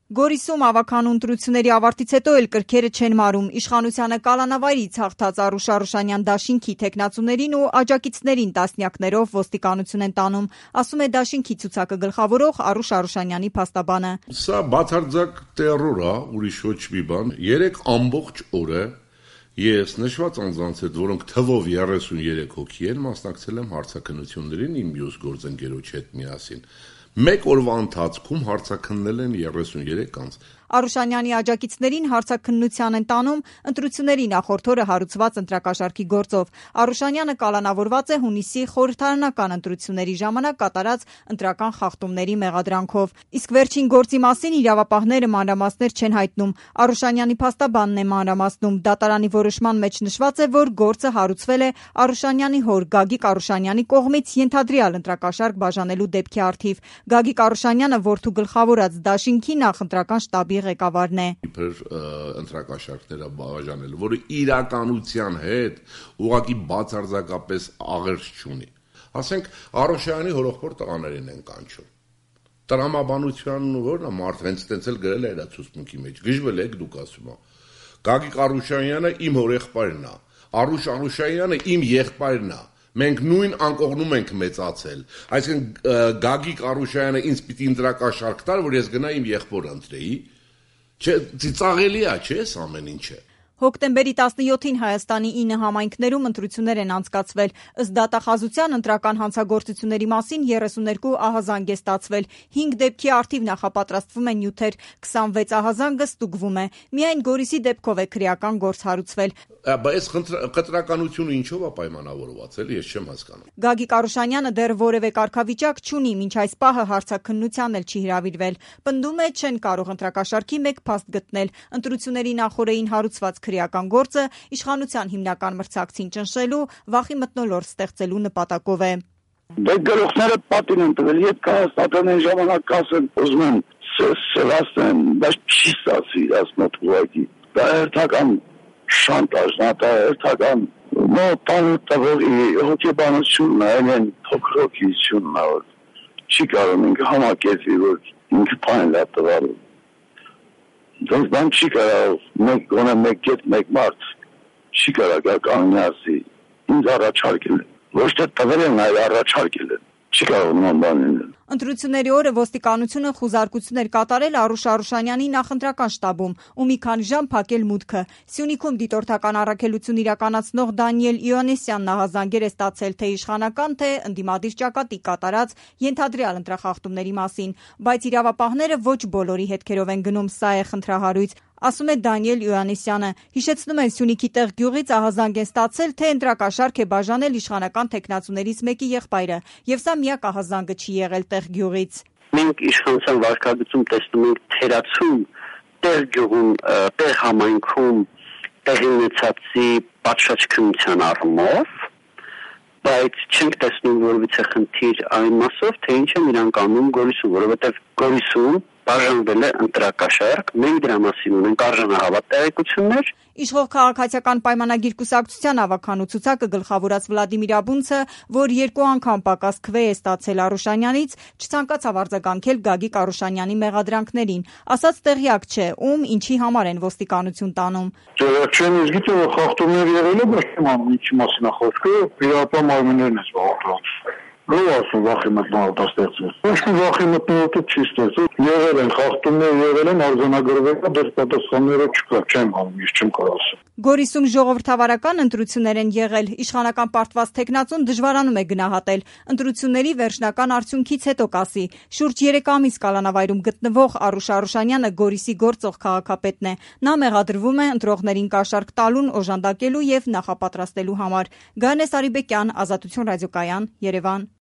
Գորիսում ավականու ընտրությունների ավարտից հետո էլ կրքերը չեն մարում։ Իշխանությանը կալանավայրից հաղթած Արուշ Արուշանյան դաշինքի թեկնածուներին ու աջակիցներին տասնյակներով ոստիկանություն են տանում, ասում է դաշինքի ցուցակը գլխավորող Արուշ Արուշանյանի փաստաբանը։ Սա բացարձակ տերոր է, ուրիշ ոչ մի բան։ 3 ամբողջ օր է ես նշված անձանց հետ, որոնք թվով 33 հոգի են, մասնակցել եմ հարցաքննություններին իմ մյուս գործընկերոջ հետ միասին։ Մեկ օրվա ընթացքում հարցաքննել են 33 անձ։ Արուշանյանի աջակիցներին հարցաքննության են տանում ընտրությունների նախորդ օրը հարուցված ընտրակաշառքի գործով։ Արուշանյանը կալանավորված է հունիսի խորհրդարանական ընտրությունների ժամանակ կատարած ընտրական խախտումների մեղադրանքով։ Իսկ վերջին գործի մասին իրավապահները մանրամասներ չեն հայտնում։ Արուշանյանի փաստաբանն է մանրամասնում։ Դատարանի որոշման մեջ նշված է, որ գործը հարուցվել է Արուշանյանի հոր Գագիկ Արուշանյանի կողմից ենթադրյալ ընտրակաշառք բաժանելու դեպքի առթիվ։ Գագիկ Արուշանյանը որդու գլխավորած դաշինքի նախընտրական շտաբի ղեկավարն է։ Իբր ընտրակաշառքները բաժանելու, որը իրականության հետ ուղղակի բացարձակապես աղերս չունի։ Ասենք Արուշյանի հորեղբոր տղաներին են կանչում։ Տրամաբանության որն է մարդ հենց տենց էլ գրել է իր ցուցմունքի մեջ։ Գժվել եք դուք ասում ա։ Գագիկ Արուշյանը իմ հորեղբայրն է։ Արուշ Արուշյանը իմ եղբայրն է։ Մենք նույն անկողնում ենք մեծացել։ Այսինքն Գագիկ Արուշյանը ինձ պիտի ընտրակաշառք տար, որ ես գնա իմ եղբորը ընտրեի։ Չէ, ծիծաղելի է, չէ՞, ամեն ինչը։ Հոկտեմբերի 17-ին Հայաստանի 9 համայնքներում ընտրություններ են անցկացվել։ Ըստ դատախազության ընտրական հանցագործությունների մասին 32 ահազանգ է ստացվել։ 5 դեպքի առթիվ նախապատրաստվում են նյութեր, 26 ահազանգը ստուգվում է։ Միայն Գորիսի դեպքով է քրեական գործ հարուցվել։ Բայց խտրականությունը ինչով է պայմանավորված, էլի ես չեմ հասկանում։ Գագիկ Արուշանյանը դեռ որևէ կարգավիճակ չունի, մինչ այս պահը հարցաքննության էլ չի հրավիրվել։ Պնդում է, չեն կարող ընտրակաշառքի մեկ փաստ գտնել։ Ընտրությունների նախօրեին հարուցված քրեական գործը իշխանության հիմնական մրցակցին ճնշելու, վախի մթնոլորտ ստեղծելու նպատակով է։ Դե գլուխները պատին են տվել, եթե կհաստատեն այն ժամանակ կասեն, ուզում են սրասեն, բայց չի ստացվի ասնոտ ուղղակի։ Դա հերթական շանտաժն է, դա հերթական տանուտավողի հոգեբանությունն է, այն փոքրոքիությունն է, որ չի կարող ինքը համակերպի, որ ինքը պայն լա տվալու։ Դրանց բան չի կարող, գոնե մեկ կետ, մեկ մարդ չի կարող կանոնի ասի, ինձ առաջարկել են, ոչ թե տվել են, այլ առաջարկել են, չի կարող նման բան լինել։ Ընտրությունների օրը ոստիկանությունը խուզարկություն էր կատարել Արուշ Արուշանյանի նախընտրական շտաբում ու մի քանի ժամ փակել մուտքը։ Սյունիքում դիտորդական առաքելություն իրականացնող Դանիել Իոաննիսյանն ահազանգեր է ստացել թե իշխանական, թե ընդդիմադիր ճակատի կատարած ենթադրյալ ընտրախախտումների մասին, բայց իրավապահները ոչ բոլորի հետքերով են գնում, սա է խնդրահարույց, ասում է Դանիել Իոաննիսյանը։ Հիշեցնում են Սյունիքի տեղ գյուղից ահազանգ են ստացել, թե ընտրակաշառք է բաժանել իշխանական տեխնացուներից մեկի եղբայրը, եւ սա միակ ահազանգը չի եղել տեղ գյուղից։ Մենք իշխանության վարկագծում տեսնում ենք թերացում տեղ գյուղում, տեղ համայնքում տեղի ունեցածի պատշաճ առումով, բայց չենք տեսնում որևիցե խնդիր այն մասով, թե ինչ են իրանք անում Գորիսում, որովհետև Գորիսում բաժանվել է ընտրակաշառք, մենք դրա մասին ունենք արժանահավատ տեղեկություններ։ Իշխող քաղաքացիական պայմանագիր կուսակցության ավականու ցուցակը գլխավորած Վլադիմիր Աբունցը, որ 2 անգամ պակաս քվե է ստացել Արուշանյանից, չցանկացավ արձագանքել Գագիկ Արուշանյանի մեղադրանքներին, ասաց տեղյակ չէ, ում ինչի համար են ոստիկանություն տանում։ Չեմ ես գիտեմ, որ խախտումներ եղել է, բայց չեմ անում ինչի մասին է խոսքը, իրապա մարմիններն է զբաղված։ Ո՞վ ասում վախի մտնոլորտ ստեղծել։ Ոչ մի վախի մտնոլորտ չի ստեղծել։ Եղել են խախտումներ, եղել են արձանագրվել, դեռ պատասխանները չկա, չեմ անում, ես չեմ կարող ասել։ Գորիսում ժողովրդավարական ընտրություններ են եղել։ Իշխանական պարտված տեխնացուն դժվարանում է գնահատել։ Ընտրությունների վերջնական արդյունքից հետո կասի։ Շուրջ 3 ամիս կալանավայրում գտնվող Արուշ Արուշանյանը Գորիսի գործող քաղաքապետն է։ Նա մեղադրվում է ընտրողներին կաշառք տալուն, օժանդակելու եւ նախապատրաստելու համար։ Գայանես Արիբեկյան, Ազատություն ռադիոկայան, Երևան։